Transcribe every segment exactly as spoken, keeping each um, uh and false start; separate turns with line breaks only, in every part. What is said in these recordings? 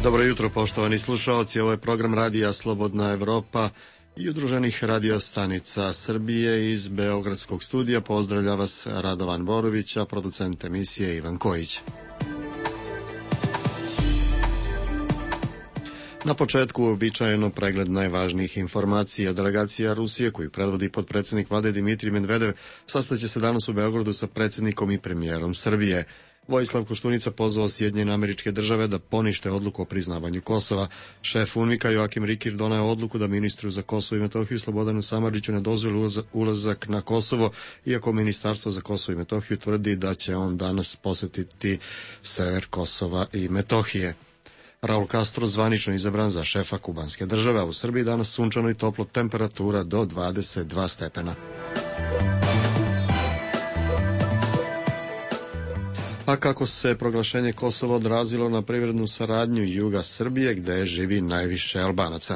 Dobro jutro, poštovani slušaoci. Ovo je program Radija Slobodna Evropa i udruženih radiostanica Srbije iz Beogradskog studija. Pozdravlja vas Radovan Borović, a producent emisije Ivan Kojić. Na početku uobičajeno pregled najvažnijih informacija. Delegacija Rusije, koju predvodi potpredsjednik vlade Dimitrij Medvedev, sastaće se danas u Beogradu sa predsjednikom i premijerom Srbije. Vojislav Koštunica pozvao Sjedinjene Američke Države da ponište odluku o priznavanju Kosova. Šef UNMIK-a Joakim Rikir doneo odluku da ministru za Kosovo i Metohiju Slobodanu Samardžiću ne dozvoli ulazak na Kosovo, iako Ministarstvo za Kosovo i Metohiju tvrdi da će on danas posjetiti sever Kosova i Metohije. Raul Castro zvanično izabran za šefa kubanske države, a u Srbiji danas sunčano i toplo, temperatura do dvadeset dva stepena. A kako se proglašenje Kosova odrazilo na privrednu saradnju juga Srbije, gde živi najviše Albanaca?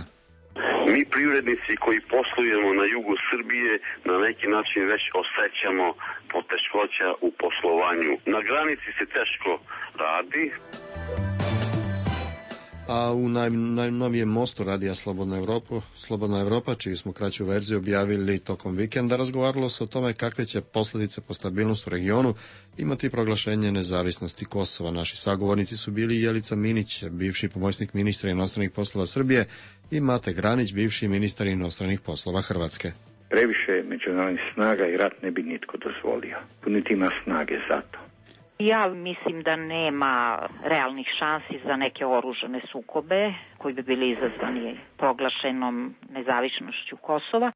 Mi privrednici koji poslujemo na jugu Srbije na neki način već osjećamo poteškoća u poslovanju. Na granici se teško radi.
A u naj, najnovijem mostu Radija Slobodna Evropa, Slobodna Evropa, čiju smo kraću verziju objavili tokom vikenda, razgovaralo se o tome kakve će posljedice po stabilnost u regionu imati proglašenje nezavisnosti Kosova. Naši sagovornici su bili Jelica Minić, bivši pomoćnik ministra inostranih poslova Srbije, i Mate Granić, bivši ministar inostranih poslova Hrvatske.
Previše međunarodnih snaga i rat ne bi nitko dozvolio. Niti ima snage za to.
Ja mislim da nema realnih šansi za neke oružane sukobe koji bi bili izazvani proglašenom nezavisnošću Kosova.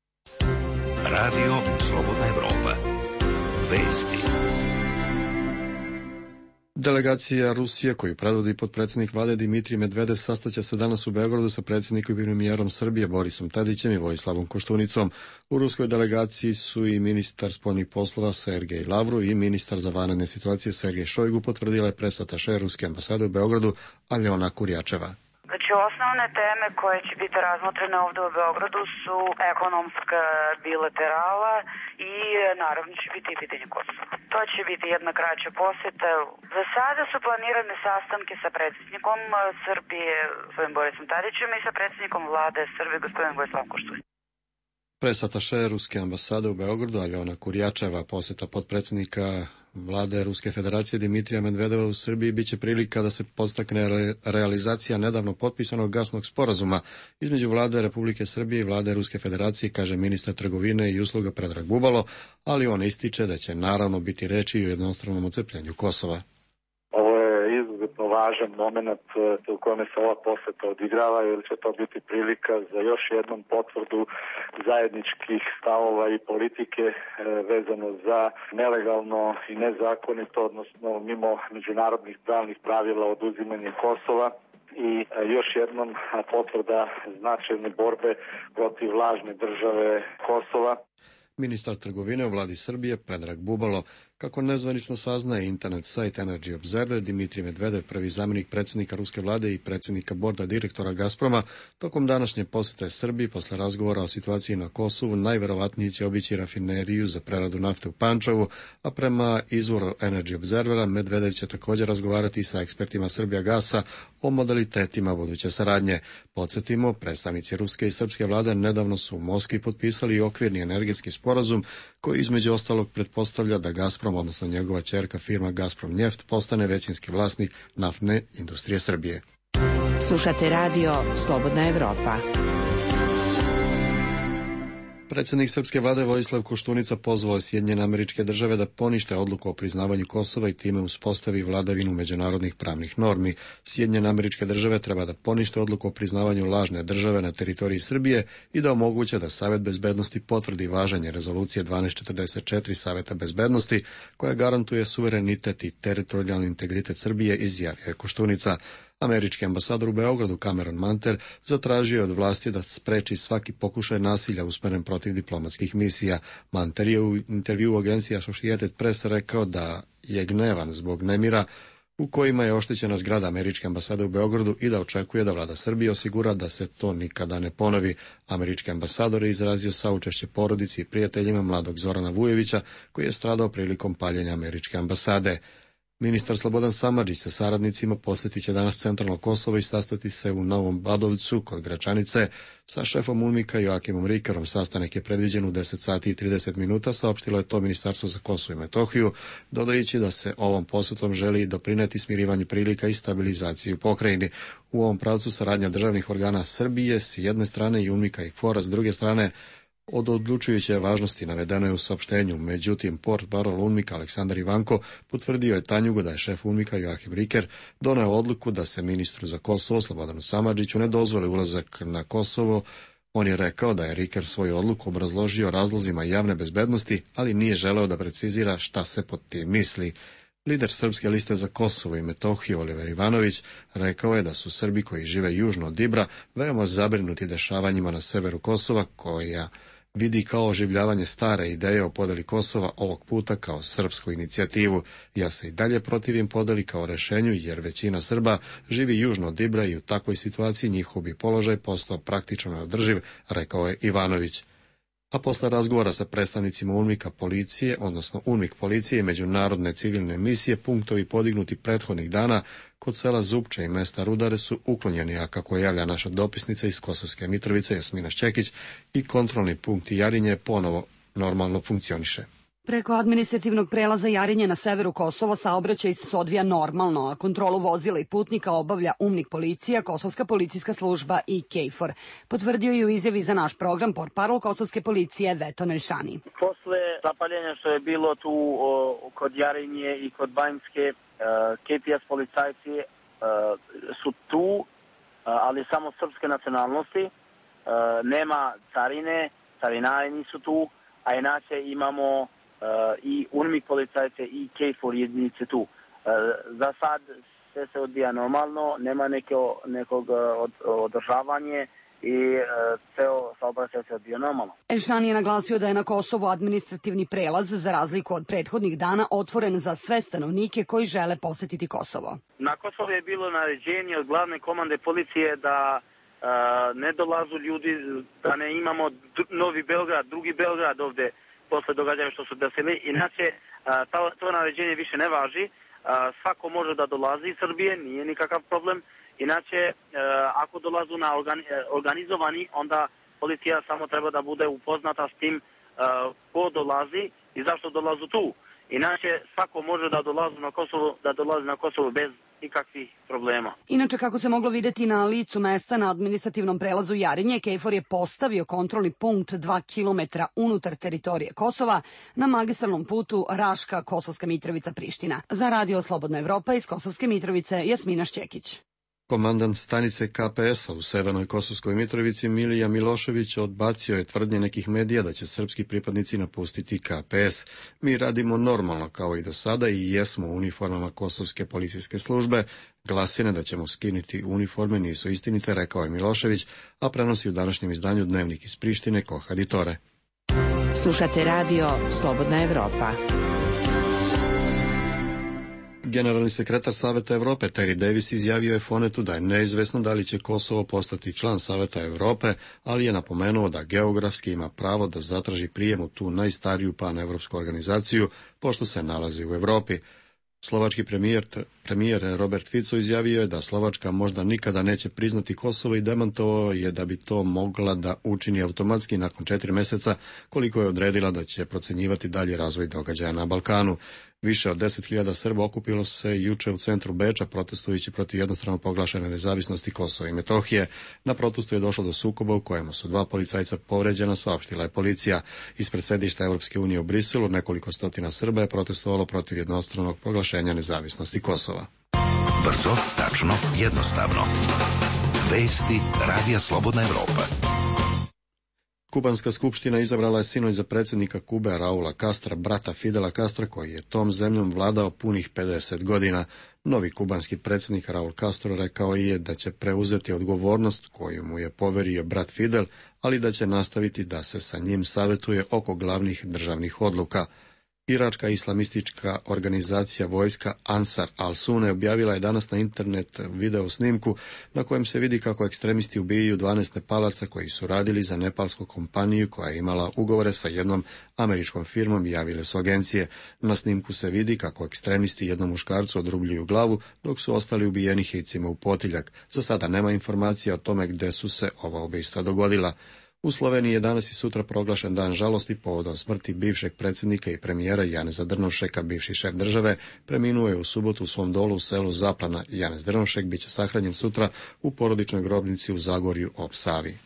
Radio Slobodna Evropa. Vesti.
Delegacija Rusije, koju predvodi potpredsjednik vlade Dimitrij Medvedev, sastaće se danas u Beogradu sa predsjednikom i premijerom Srbije Borisom Tadićem i Vojislavom Koštunicom. U ruskoj delegaciji su i ministar spoljnih poslova Sergej Lavrov i ministar za vanredne situacije Sergej Šojgu, potvrdila je presataše ruske ambasade u Beogradu Aljona Kurjačeva.
Znači, osnovne teme koje će biti razmotrene ovde u Beogradu su ekonomska bilaterala i naravno će biti i pitanje Kosova. To će biti jedna kraća poseta. Za sada su planirane sastanke sa predsjednikom Srbije, gospodin Borisom Tadićem, i sa predsjednikom vlade Srbije, gospodin Vojislavom Koštunicom.
Presataše ruske ambasade u Beogradu Aljona Kurjačeva, poseta potpredsjednika vlade Ruske federacije Dimitrija Medvedeva u Srbiji biće prilika da se podstakne realizacija nedavno potpisanog gasnog sporazuma između vlade Republike Srbije i vlade Ruske federacije, kaže ministar trgovine i usluga Predrag Bubalo, ali on ističe da će naravno biti reči i o jednostranom odcepljenju Kosova.
Izuzetno važan moment u kome se ova poseta odigrava, jer će to biti prilika za još jednom potvrdu zajedničkih stavova i politike vezano za nelegalno i nezakonito, odnosno mimo međunarodnih pravnih pravila oduzimanje Kosova i još jednom potvrda značajne borbe protiv lažne države Kosova.
Ministar trgovine u vladi Srbije Predrag Bubalo. Kako nezvanično saznaje internet sajt Energy Observer, Dimitrij Medvedev, prvi zamjenik predsjednika ruske vlade i predsjednika borda direktora Gazproma, tokom današnje posjete Srbiji posle razgovora o situaciji na Kosovu najverovatnije će obići rafineriju za preradu nafte u Pančevu, a prema izvoru Energy Observera Medvedev će također razgovarati sa ekspertima Srbijagasa o modalitetima buduće saradnje. Podsjetimo, predstavnici ruske i srpske vlade nedavno su u Moskvi potpisali okvirni energetski sporazum koji između ostalog pretpostavlja da Gazprom, odnosno njegova ćerka firma Gazprom Njeft, postane većinski vlasnik naftne industrije Srbije.
Slušate radio Slobodna Evropa.
Predsjednik srpske vlade Vojislav Koštunica pozvao Sjedinjene Američke Države da ponište odluku o priznavanju Kosova i time uspostavi vladavinu međunarodnih pravnih normi. Sjedinjene Američke Države treba da ponište odluku o priznavanju lažne države na teritoriji Srbije i da omoguće da Savet bezbednosti potvrdi važenje rezolucije dvanaest četrdeset četiri Saveta bezbednosti koja garantuje suverenitet i teritorijalni integritet Srbije, izjavio je Koštunica. Američki ambasador u Beogradu Cameron Manter zatražio je od vlasti da spreči svaki pokušaj nasilja usmeren protiv diplomatskih misija. Manter je u intervju u agenciji Associated Press rekao da je gnevan zbog nemira u kojima je oštećena zgrada američke ambasade u Beogradu i da očekuje da vlada Srbije osigura da se to nikada ne ponovi. Američki ambasador je izrazio saučešće porodici i prijateljima mladog Zorana Vujevića koji je stradao prilikom paljenja američke ambasade. Ministar Slobodan Samardžić sa saradnicima posjetit će danas centralno Kosovo i sastati se u Novom Badovcu kod Gračanice sa šefom UNMIK-a Joakimom Rikerom. Sastanak je predviđen u deset sati i trideset minuta, saopštilo je to Ministarstvo za Kosovo i Metohiju, dodajući da se ovom posjetom želi doprineti smirivanju prilika i stabilizaciji u pokrajini. U ovom pravcu saradnja državnih organa Srbije s jedne strane i UNMIK-a i KFOR-a s druge strane od odlučujuće važnosti, navedeno je u saopštenju. Međutim, portparol UNMIK-a Aleksandar Ivanko potvrdio je Tanjugu da je šef UNMIK-a Joakim Riker doneo odluku da se ministru za Kosovo Slobodanu Samardžiću ne dozvoli ulazak na Kosovo. On je rekao da je Riker svoju odluku obrazložio razlozima javne bezbednosti, ali nije želeo da precizira šta se pod tim misli. Lider Srpske liste za Kosovo i Metohiju Oliver Ivanović rekao je da su Srbi koji žive južno od Ibra veoma zabrinuti dešavanjima na severu Kosova, koja vidi kao oživljavanje stare ideje o podeli Kosova, ovog puta kao srpsku inicijativu. Ja se i dalje protivim podeli kao rešenju, jer većina Srba živi južno od Ibra i u takvoj situaciji njihov bi položaj postao praktično neodrživ, rekao je Ivanović. A posle razgovora sa predstavnicima UNMIK-a policije, odnosno UNMIK policije i međunarodne civilne misije, punktovi podignuti prethodnih dana kod sela Zupče i mesta Rudare su uklonjeni, a kako javlja naša dopisnica iz Kosovske Mitrovice Jasmina Šćekić, i kontrolni punkt Jarinje ponovo normalno funkcioniše.
Preko administrativnog prelaza Jarinje na severu Kosova saobraćaj se odvija normalno, a kontrolu vozila i putnika obavlja UNMIK policija, Kosovska policijska služba i KFOR. Potvrdio je u izjavi za naš program portparol Kosovske policije Veto Nelšani.
Posle zapaljenja što je bilo tu o, kod Jarinje i kod Banjske, K P S policajci su tu, ali samo srpske nacionalnosti. Nema carine, carinari nisu tu, a inače imamo Uh, i UNMIK policajce i KFOR jedinice tu. Uh, za sad sve se odvija normalno, nema neko, nekog od, održavanje i uh, ceo saobraćaj se odvija normalno.
Elšani je naglasio da je na Kosovu administrativni prelaz, za razliku od prethodnih dana, otvoren za sve stanovnike koji žele posetiti Kosovo.
Na Kosovu je bilo naređenje od glavne komande policije da uh, ne dolazu ljudi, da ne imamo Novi Beograd, drugi Beograd ovde, posle događaja što su desili. Inače, to naređenje više ne važi. Svako može da dolazi iz Srbije, nije nikakav problem. Inače, ako dolazu na organizovani, onda policija samo treba da bude upoznata s tim ko dolazi i zašto dolazu tu. Inače, svako može da dolazi na Kosovo, da dolazi na Kosovo bez nikakvih problema.
Inače, kako se moglo videti na licu mesta na administrativnom prelazu Jarinje, KFOR je postavio kontrolni punkt dva kilometra unutar teritorije Kosova na magistralnom putu Raška, Kosovska Mitrovica, Priština. Za Radio Slobodna Evropa iz Kosovske Mitrovice, Jasmina Šćekić.
Komandant stanice K P S-a u Severnoj Kosovskoj Mitrovici Milija Milošević odbacio je tvrdnje nekih medija da će srpski pripadnici napustiti K P S. Mi radimo normalno kao i do sada i jesmo u uniformama Kosovske policijske službe. Glasine da ćemo skinuti uniforme nisu istinite, rekao je Milošević, a prenosi u današnjem izdanju Dnevnik iz Prištine Kohaditore.
Slušate radio Slobodna Evropa.
Generalni sekretar Saveta Evrope Terry Davis izjavio je Fonetu da je neizvesno da li će Kosovo postati član Saveta Evrope, ali je napomenuo da geografski ima pravo da zatraži prijem u tu najstariju panevropsku organizaciju, pošto se nalazi u Evropi. Slovački premijer, premijer Robert Fico izjavio je da Slovačka možda nikada neće priznati Kosovo i demantovao je da bi to mogla da učini automatski nakon četiri meseca, koliko je odredila da će procenjivati dalje razvoj događaja na Balkanu. Više od deset hiljada Srba okupilo se juče u centru Beča protestujući protiv jednostrano proglašene nezavisnosti Kosova i Metohije. Na protestu je došlo do sukoba u kojemu su dva policajca povređena, saopštila je policija. Ispred sedišta Evropske unije u Briselu nekoliko stotina Srba je protestovalo protiv jednostranog proglašenja nezavisnosti Kosova.
Brzo, tačno, jednostavno. Vesti Radija Slobodna Evropa.
Kubanska skupština izabrala je sinoć za predsjednika Kube Raula Castra, brata Fidela Castra, koji je tom zemljom vladao punih pedeset godina. Novi kubanski predsjednik Raul Castro rekao je da će preuzeti odgovornost koju mu je poverio brat Fidel, ali da će nastaviti da se sa njim savjetuje oko glavnih državnih odluka. Iračka islamistička organizacija vojska Ansar al-Sunne objavila je danas na internet video snimku na kojem se vidi kako ekstremisti ubijaju dvanaest Nepalaca koji su radili za nepalsku kompaniju koja je imala ugovore sa jednom američkom firmom, javile su agencije. Na snimku se vidi kako ekstremisti jednom muškarcu odrubljuju glavu dok su ostali ubijeni hicima u potiljak. Za sada nema informacija o tome gde su se ova ubojstva dogodila. U Sloveniji je danas i sutra proglašen dan žalosti povodom smrti bivšeg predsjednika i premijera Janeza Drnovšeka. Bivši šef države preminuo je u subotu u svom dolu u selu Zaplana. Janez Drnovšek biće sahranjen sutra u porodičnoj grobnici u Zagorju ob Savi.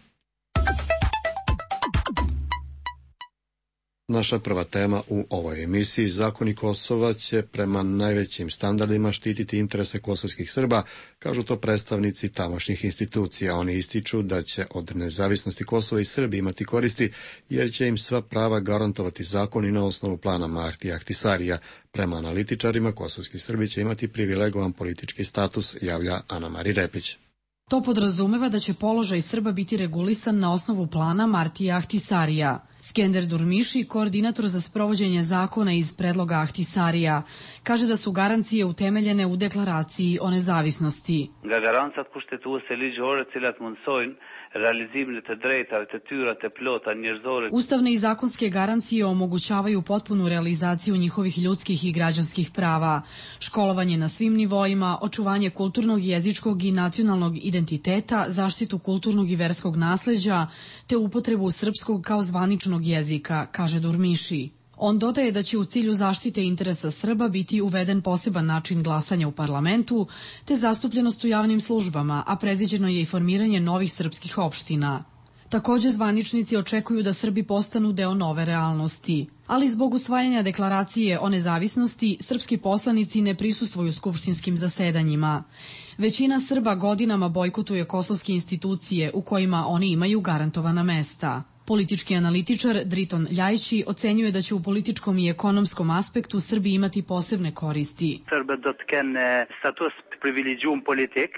Naša prva tema u ovoj emisiji: zakoni Kosova će prema najvećim standardima štititi interese kosovskih Srba, kažu to predstavnici tamošnjih institucija. Oni ističu da će od nezavisnosti Kosova i Srbi imati koristi, jer će im sva prava garantovati zakoni na osnovu plana Martija Ahtisarija. Prema analitičarima, kosovski Srbi će imati privilegovan politički status, javlja Ana Mari Repić.
To podrazumeva da će položaj Srba biti regulisan na osnovu plana Martija Ahtisarija. Skender Durmiši, koordinator za sprovođenje zakona iz predloga Ahtisarija, kaže da su garancije utemeljene u deklaraciji o nezavisnosti. Ustavne i zakonske garancije omogućavaju potpunu realizaciju njihovih ljudskih i građanskih prava, školovanje na svim nivoima, očuvanje kulturnog, jezičkog i nacionalnog identiteta, zaštitu kulturnog i verskog nasleđa, te upotrebu srpskog kao zvaničnog jezika, kaže Durmiši. On dodaje da će u cilju zaštite interesa Srba biti uveden poseban način glasanja u parlamentu, te zastupljenost u javnim službama, a predviđeno je i formiranje novih srpskih opština. Takođe, zvaničnici očekuju da Srbi postanu deo nove realnosti. Ali zbog usvajanja deklaracije o nezavisnosti, srpski poslanici ne prisustvuju skupštinskim zasedanjima. Većina Srba godinama bojkotuje kosovske institucije u kojima oni imaju garantovana mesta. Politički analitičar Driton Ljajići ocenjuje da će u političkom i ekonomskom aspektu Srbi imati posebne koristi.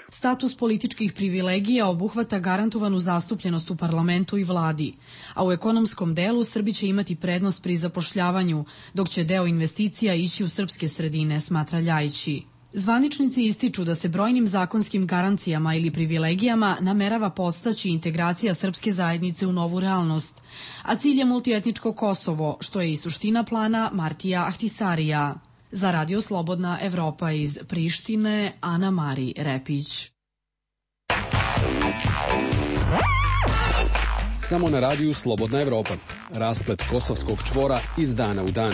Status političkih privilegija obuhvata garantovanu zastupljenost u parlamentu i vladi, a u ekonomskom delu Srbi će imati prednost pri zapošljavanju, dok će deo investicija ići u srpske sredine, smatra Ljajići. Zvaničnici ističu da se brojnim zakonskim garancijama ili privilegijama namerava podstaći integracija srpske zajednice u novu realnost, a cilj je multietničko Kosovo, što je i suština plana Martija Ahtisarija. Za Radio Slobodna Evropa iz Prištine, Ana Mari Repić.
Samo na radiju Slobodna Evropa. Rasplet kosovskog čvora iz dana u dan.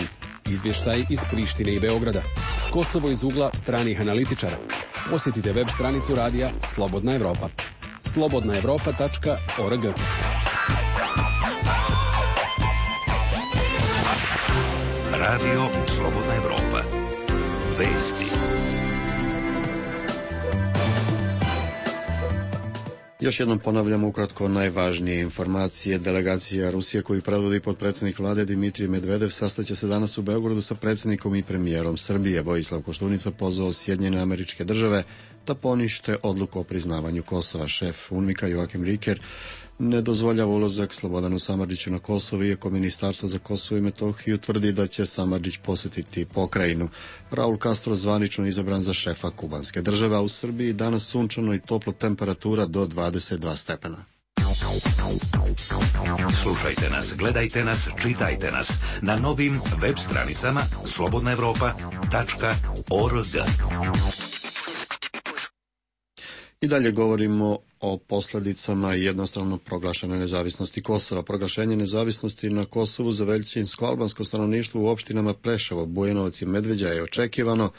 Izvještaj iz Prištine i Beograda. Kosovo iz ugla stranih analitičara. Posjetite web stranicu radija Slobodna Evropa. slobodna evropa tačka org.
Radio Slobodna Evropa. Vesti.
Još jednom ponavljamo ukratko najvažnije informacije. Delegacija Rusije koju predvodi potpredsjednik vlade Dimitrij Medvedev sastaće se danas u Beogradu sa predsjednikom i premijerom Srbije. Vojislav Koštunica pozvao Sjedinjene Američke Države da ponište odluku o priznavanju Kosova. Šef UNMIK-a Joakim Riker ne dozvoljava ulazak Slobodanu Samardžiću na Kosovo, iako Ministarstvo za Kosovo i Metohiju tvrdi da će Samardžić posjetiti pokrajinu. Raul Castro zvanično izabran za šefa kubanske države, a u Srbiji danas sunčano i toplo, temperatura do dvadeset dva stepena.
Slušajte nas, gledajte nas, čitajte nas na novim web stranicama slobodna evropa tačka org.
I dalje govorimo o posljedicama jednostavno proglašene nezavisnosti Kosova. Proglašenje nezavisnosti na Kosovu za većinsko albansko stanovništvo u opštinama Preševo, Bujanovac i Medveđa je očekivano,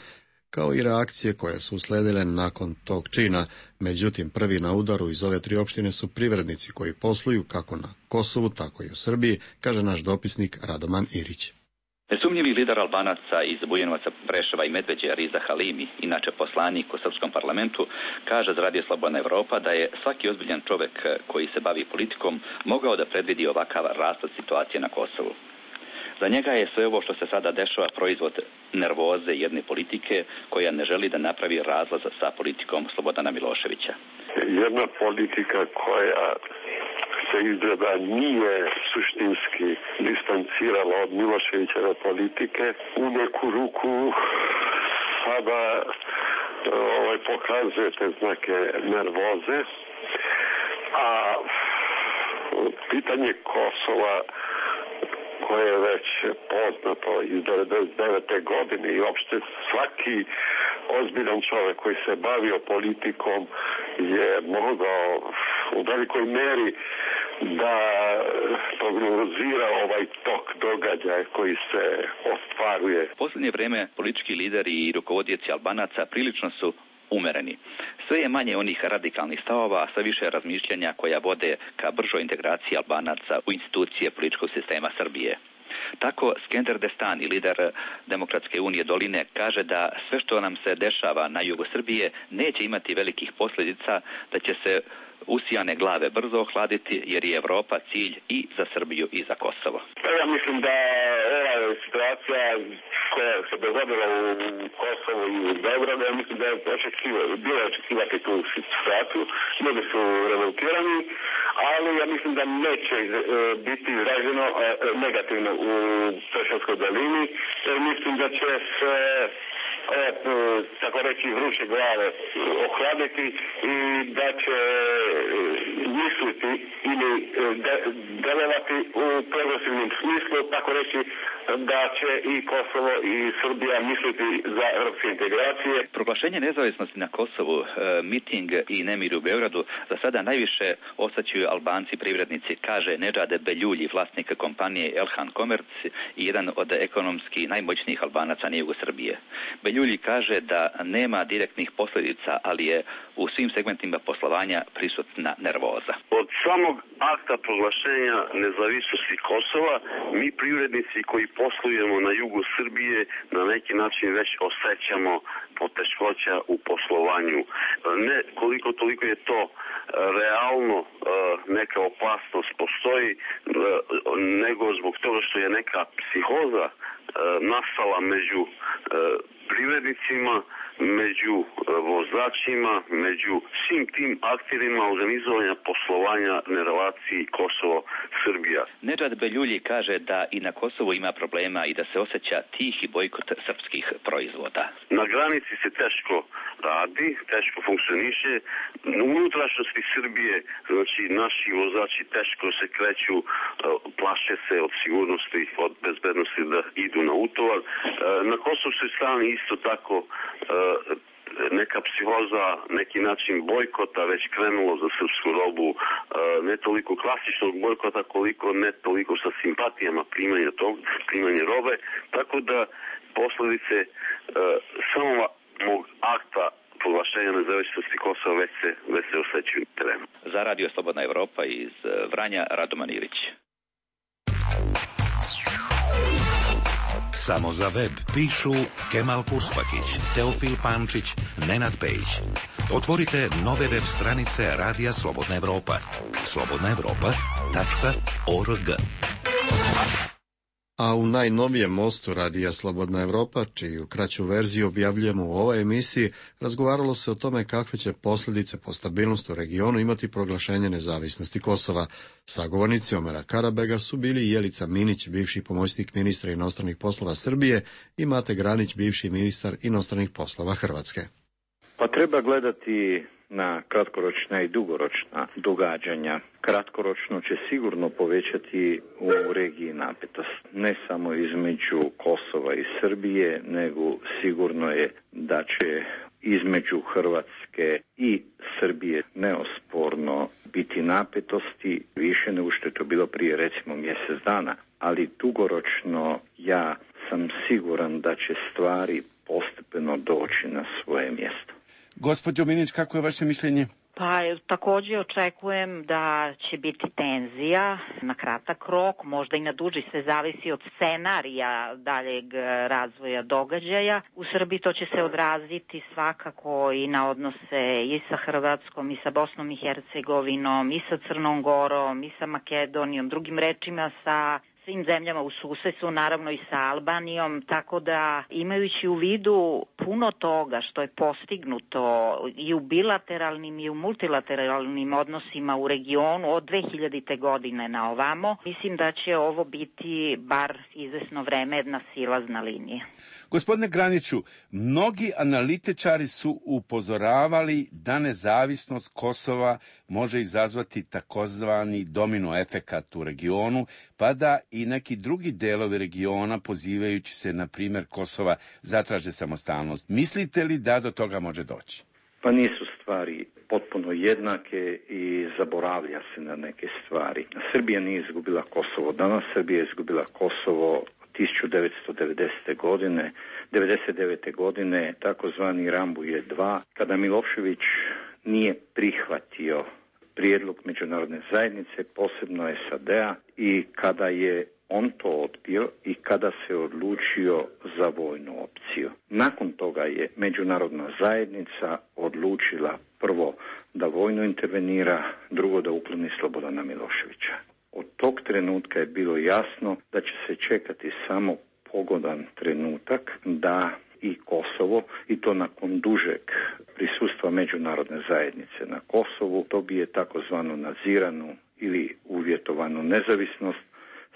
kao i reakcije koje su usledile nakon tog čina. Međutim, prvi na udaru iz ove tri opštine su privrednici koji posluju kako na Kosovu, tako i u Srbiji, kaže naš dopisnik Radoman Irić.
Nesumnjivi lider Albanaca iz Bujanovaca, Preševa i Medveđe, Riza Halimi, inače poslanik u srpskom parlamentu, kaže za Radio Slobodna Evropa da je svaki ozbiljan čovek koji se bavi politikom mogao da predvidi ovakav raspad situacije na Kosovu. Za njega je sve ovo što se sada dešava proizvod nervoze jedne politike koja ne želi da napravi razlaz sa politikom Slobodana Miloševića.
Jedna politika koja se izgleda nije suštinski distancirala od Miloševićeve politike. U neku ruku sada ovaj, pokazuje te znake nervoze, a pitanje Kosova koje je već poznato iz devedeset devete godine i uopšte svaki ozbiljan čovjek koji se bavio politikom je mogao u velikoj meri da prognozira ovaj tok događaja koji se ostvaruje.
U posljednje vrijeme politički lideri i rukovodioci Albanaca prilično su umereni. Sve je manje onih radikalnih stavova, a sve više razmišljanja koja vode ka bržoj integraciji Albanaca u institucije političkog sistema Srbije. Tako Skender Destani, lider Demokratske unije Doline, kaže da sve što nam se dešava na jugu Srbije neće imati velikih posljedica, da će se usijane glave brzo ohladiti, jer je Evropa cilj i za Srbiju i za Kosovo.
Ja mislim da ova situacija koja se dogodila u Kosovu i u Beogradu, ja mislim da je očekivati, bilo očekivati tu situaciju. Ljudi su revoltirani, ali ja mislim da neće biti izraženo negativno u Preševskoj dolini. Mislim da će se E, tako reći vruće glave ohladiti i da će misliti ili de, delovati u progresivnom smislu, tako reći da će i Kosovo i Srbija misliti za evropske integracije.
Proglašenje nezavisnosti na Kosovu, miting i nemir u Beogradu za sada najviše osjećaju Albanci privrednici, kaže Nedžade Beljulji, vlasnik kompanije Elhan Commerce i jedan od ekonomski najmoćnijih Albanaca na jugu Srbije. Beljulji kaže da nema direktnih posljedica, ali je u svim segmentima poslovanja prisutna nervoza.
Od samog akta proglašenja nezavisnosti Kosova, mi privrednici koji poslujemo na jugu Srbije na neki način već osjećamo poteškoća u poslovanju. Ne koliko toliko je to realno neka opasnost postoji, nego zbog toga što je neka psihoza nastala među privrednicima, među vozačima, među svim tim akterima organizovanja poslovanja na relaciji Kosovo-Srbija.
Nedžad Beljulji kaže da i na Kosovu ima problema i da se osjeća tihi bojkot srpskih proizvoda.
Na granici se teško radi, teško funkcioniše. U unutrašnjosti Srbije, znači naši vozači teško se kreću, plaše se od sigurnosti, od bezbednosti da idu na utovar. Na kosovskoj strani isto tako neka psihoza, neki način bojkota već krenulo za srpsku robu, ne toliko klasičnog bojkota koliko ne toliko sa simpatijama primanja tog, primanja robe, tako da posljedice samog akta proglašenja nezavisnosti Kosova već se, već se osjećaju na terenu.
Za Radio Slobodna Evropa iz Vranja, Radoman Ilić.
Samo za web pišu Kemal Kurspakić, Teofil Pančić, Nenad Pejić. Otvorite nove web stranice Radija Slobodna Evropa. slobodna evropa tačka org.
A u najnovijem mostu Radija Slobodna Evropa, čiju kraću verziju objavljujemo u ovoj emisiji, razgovaralo se o tome kakve će posljedice po stabilnost u regionu imati proglašenje nezavisnosti Kosova. Sagovornici Omera Karabega su bili Jelica Minić, bivši pomoćnik ministra inostranih poslova Srbije, i Mate Granić, bivši ministar inostranih poslova Hrvatske.
Pa treba gledati na kratkoročna i dugoročna događanja. Kratkoročno će sigurno povećati u regiji napetost. Ne samo između Kosova i Srbije, nego sigurno je da će između Hrvatske i Srbije neosporno biti napetosti, više nego što je to bilo prije recimo mjesec dana. Ali dugoročno ja sam siguran da će stvari postepeno doći na svoje mjesto.
Gospođo Minić, kako je vaše mišljenje?
Pa također očekujem da će biti tenzija na kratak rok, možda i na duži, sve zavisi od scenarija daljeg razvoja događaja. U Srbiji to će se odraziti svakako i na odnose i sa Hrvatskom, i sa Bosnom i Hercegovinom, i sa Crnom Gorom, i sa Makedonijom, drugim rečima sa svim zemljama u susedstvu, naravno i sa Albanijom, tako da imajući u vidu puno toga što je postignuto i u bilateralnim i u multilateralnim odnosima u regionu od dve hiljadite godine na ovamo, mislim da će ovo biti bar izvesno vreme jedna silazna linija.
Gospodine Graniću, mnogi analitičari su upozoravali da nezavisnost Kosova može izazvati takozvani domino efekat u regionu, pa da i neki drugi delovi regiona, pozivajući se na primjer Kosova, zatraže samostalnost. Mislite li da do toga može doći?
Pa nisu stvari potpuno jednake i zaboravlja se na neke stvari. Srbija nije izgubila Kosovo danas, Srbija je izgubila Kosovo tisuću devetsto devedesete godine, devedeset devete godine, takozvani Rambuje dva, kada Milošević nije prihvatio prijedlog međunarodne zajednice, posebno S A D-a, i kada je on to odbio i kada se odlučio za vojnu opciju. Nakon toga je međunarodna zajednica odlučila prvo da vojno intervenira, drugo da ukloni Slobodana Miloševića. Od tog trenutka je bilo jasno da će se čekati samo pogodan trenutak da i Kosovo, i to nakon dužeg prisustva međunarodne zajednice na Kosovu, dobije takozvanu nadziranu ili uvjetovanu nezavisnost,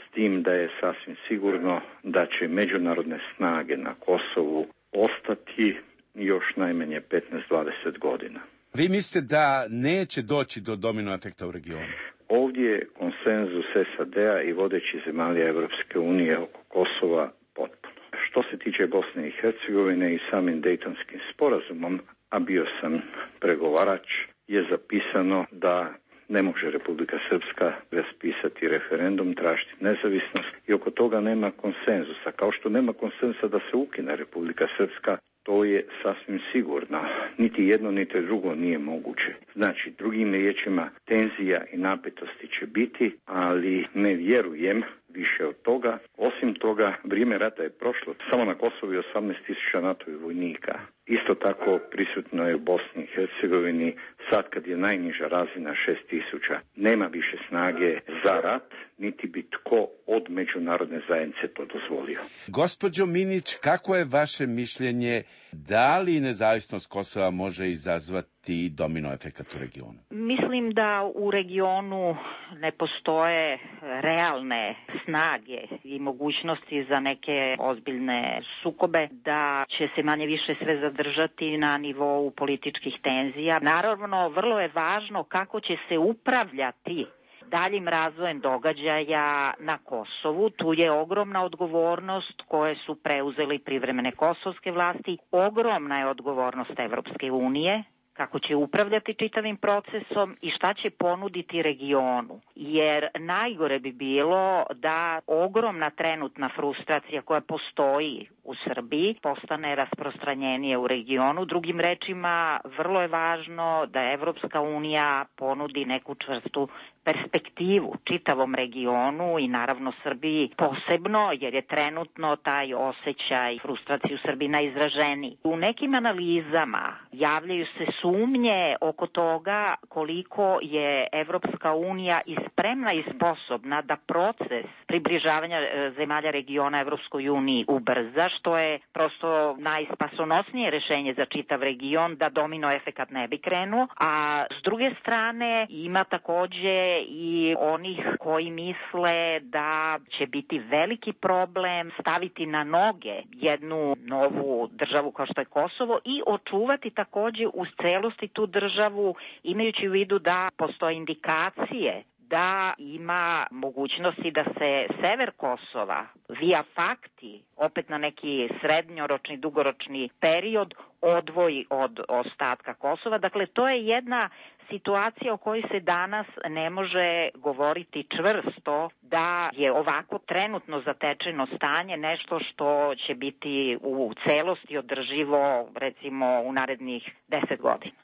s tim da je sasvim sigurno da će međunarodne snage na Kosovu ostati još najmanje petnaest do dvadeset godina.
Vi mislite da neće doći do domino efekta u regionu?
Ovdje je konsenzus S A D-a i vodeći zemalja Evropske unije oko Kosova potpuno. Što se tiče Bosne i Hercegovine i samim Dejtonskim sporazumom, a bio sam pregovarač, je zapisano da ne može Republika Srpska raspisati referendum, tražiti nezavisnost, i oko toga nema konsenzusa. Kao što nema konsenzusa da se ukine Republika Srpska, to je sasvim sigurno. Niti jedno, niti drugo nije moguće. Znači, drugim riječima, tenzija i napetosti će biti, ali ne vjerujem više od toga. Osim toga, vrijeme rata je prošlo. Samo na Kosovu je osamnaest tisuća NATO-vih vojnika. Isto tako prisutno je u Bosni i Hercegovini, sad kad je najniža razina šest tisuća. Nema više snage za rat, niti bi tko od međunarodne zajednice to dozvolio.
Gospođo Minić, kako je vaše mišljenje, da li nezavisnost Kosova može izazvati domino efekat u regionu?
Mislim da u regionu ne postoje realne snage i mogućnosti za neke ozbiljne sukobe, da će se manje više sve zadržati na nivou političkih tenzija. Naravno, vrlo je važno kako će se upravljati daljim razvojem događaja na Kosovu. Tu je ogromna odgovornost koje su preuzeli privremene kosovske vlasti, ogromna je odgovornost Evropske unije, kako će upravljati čitavim procesom i šta će ponuditi regionu. Jer najgore bi bilo da ogromna trenutna frustracija koja postoji u Srbiji postane rasprostranjenije u regionu. Drugim rečima, vrlo je važno da Evropska unija ponudi neku čvrstu perspektivu čitavom regionu i naravno Srbiji posebno, jer je trenutno taj osjećaj frustracije u Srbiji najizraženiji. U nekim analizama javljaju se sumnje oko toga koliko je Evropska unija i spremna i sposobna da proces približavanja zemalja regiona Evropskoj uniji ubrza, što je prosto najspasonosnije rešenje za čitav region, da domino efekat ne bi krenuo, a s druge strane ima takođe i onih koji misle da će biti veliki problem staviti na noge jednu novu državu kao što je Kosovo i očuvati takođe u celosti tu državu, imajući u vidu da postoje indikacije da ima mogućnosti da se sever Kosova via fakti, opet na neki srednjoročni, dugoročni period, odvoji od ostatka Kosova. Dakle, to je jedna situacija o kojoj se danas ne može govoriti čvrsto da je ovako trenutno zatečeno stanje nešto što će biti u celosti održivo, recimo, u narednih deset godina.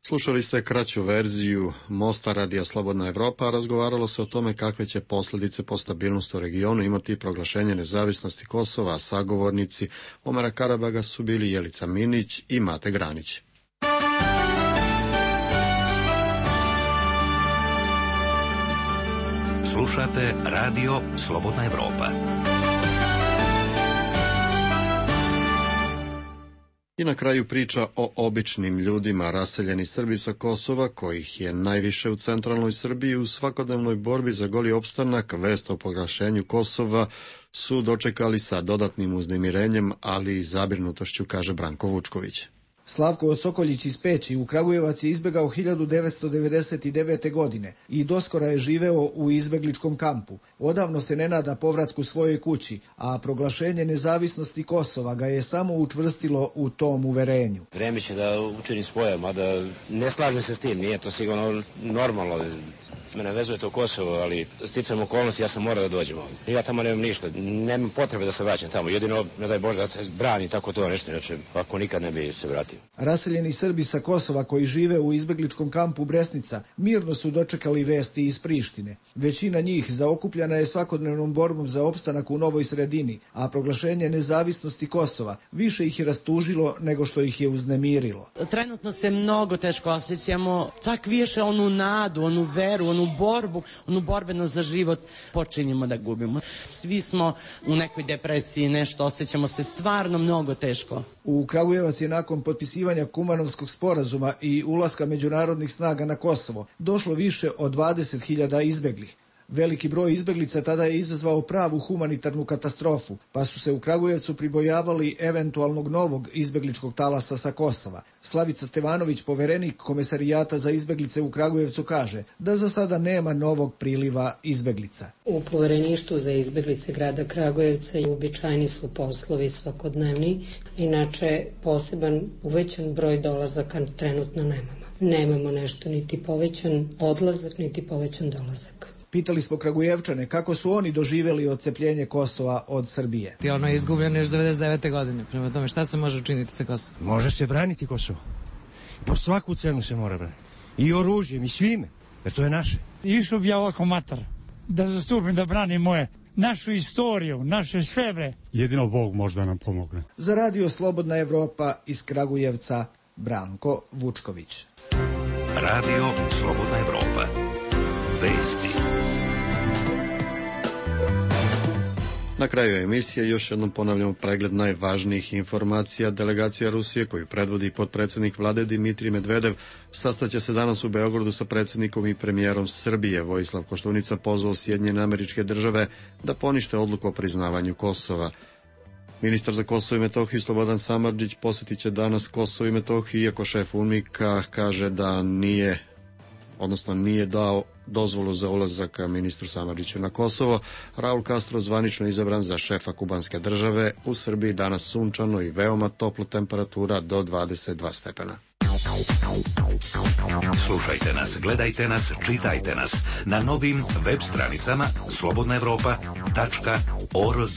Slušali ste kraću verziju Mosta Radija Slobodna Evropa, a razgovaralo se o tome kakve će posljedice po stabilnost u regionu imati proglašenje nezavisnosti Kosova, a sagovornici Omera Karabaga su bili Jelica Minić i Mate Granić.
Slušate Radio Slobodna Evropa.
I na kraju priča o običnim ljudima. Raseljeni Srbi sa Kosova, kojih je najviše u centralnoj Srbiji, u svakodnevnoj borbi za goli opstanak, vest o proglašenju Kosova su dočekali sa dodatnim uznemirenjem, ali i zabrinutošću, kaže Branko Vučković.
Slavko Sokoljić iz Peći u Kragujevac je izbegao hiljadu devetsto devedeset devete. godine i doskora je živeo u izbegličkom kampu. Odavno se ne nada povratku svojoj kući, a proglašenje nezavisnosti Kosova ga je samo učvrstilo u tom uverenju.
Vreme će da učini svoje, mada ne slažem se s tim, nije to sigurno normalno. Mene vezuje to Kosovo, ali sticam okolnosti, ja sam morao da dođem ovdje. Ja tamo nemam ništa, nemam potrebe da se vraćam tamo. Jedino, ne daj Bože, da se brani tako to nešto, inače, ako nikad ne bi se vratio.
Raseljeni Srbi sa Kosova koji žive u izbegličkom kampu Bresnica mirno su dočekali vesti iz Prištine. Većina njih zaokupljena je svakodnevnom borbom za opstanak u novoj sredini, a proglašenje nezavisnosti Kosova više ih je rastužilo nego što ih je uznemirilo.
Trenutno se mnogo teško osjećamo, tak više onu nadu, onu veru, onu borbu, onu borbenost za život počinjemo da gubimo. Svi smo u nekoj depresiji, nešto, osjećamo se stvarno mnogo teško.
U Kragujevac je nakon potpisivanja Kumanovskog sporazuma i ulaska međunarodnih snaga na Kosovo došlo više od dvadeset hiljada izbeglih. Veliki broj izbeglica tada je izazvao pravu humanitarnu katastrofu, pa su se u Kragujevcu pribojavali eventualnog novog izbegličkog talasa sa Kosova. Slavica Stevanović, poverenik Komesarijata za izbeglice u Kragujevcu, kaže da za sada nema novog priliva izbeglica.
U povereništvu za izbeglice grada Kragujevca uobičajeni su poslovi svakodnevni, inače poseban uvećan broj dolazaka trenutno nemamo. Nemamo nešto niti povećan odlazak, niti povećan dolazak.
Pitali smo Kragujevčane kako su oni doživjeli odcepljenje Kosova od Srbije.
I ono je izgubljeno još devedeset devete. godine. Prema tome, šta se može učiniti sa Kosovom?
Može se braniti Kosovo. Po svaku cenu se mora braniti. I oružjem, i svime, jer to je naše.
Išao bi ja ovako matar, da zastupim, da branim moje, našu istoriju, naše svebre.
Jedino Bog može da nam pomogne.
Za Radio Slobodna Evropa iz Kragujevca, Branko Vučković.
Radio Slobodna Evropa. Vesti.
Na kraju emisije još jednom ponavljamo pregled najvažnijih informacija. Delegacija Rusije koju predvodi potpredsjednik vlade Dimitrij Medvedev sastaće se danas u Beogradu sa predsjednikom i premijerom Srbije. Vojislav Koštunica pozvao Sjedinjene Američke Države da ponište odluku o priznavanju Kosova. Ministar za Kosovo i Metohiju Slobodan Samardžić posjetit će danas Kosovo i Metohiju, iako šef UNMIK-a kaže da nije, odnosno nije dao dozvolu za ulazak ministru Samardžiću na Kosovo. Raul Castro zvanično izabran za šefa kubanske države. U Srbiji danas sunčano i veoma topla temperatura do dvadeset dva stepena.
Slušajte nas, gledajte nas, čitajte nas na novim web stranicama slobodna evropa tačka org.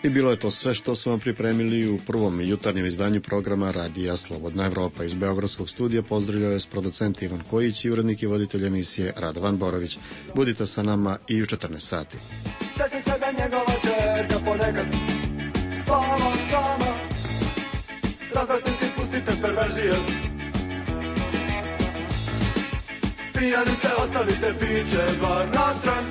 I bilo je to sve što smo vam pripremili u prvom jutarnjem izdanju programa Radija Slobodna Evropa. Iz Beogradskog studija pozdravljao je s producent Ivan Kojić i urednik i voditelj emisije Radovan Borović. Budite sa nama i u četrnaest sati.
Da se sada njegova čerka ponekad spava sama, razvratnici pustite perverzije, pijanice ostavite piće bar na tran.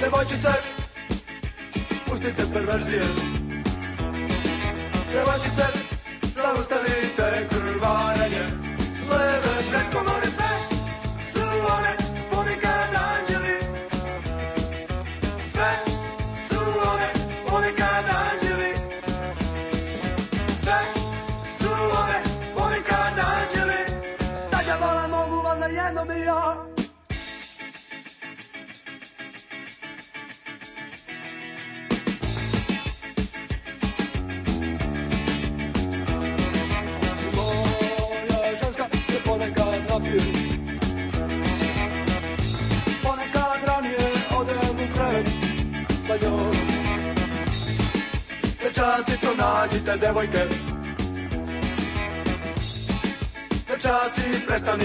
Devojčice, pustite perverzije. Devojčice, zaustavite krvarenje. Leve pred komore sve su one ponekad anđeli. Sve su one ponekad anđeli. Sve su one ponekad anđeli. Da ga vola mogu valjda jednom i ja. papir. Ponekad ranije odem u krevet sa njom. Dečaci, to nađite devojke. Dečaci, prestanite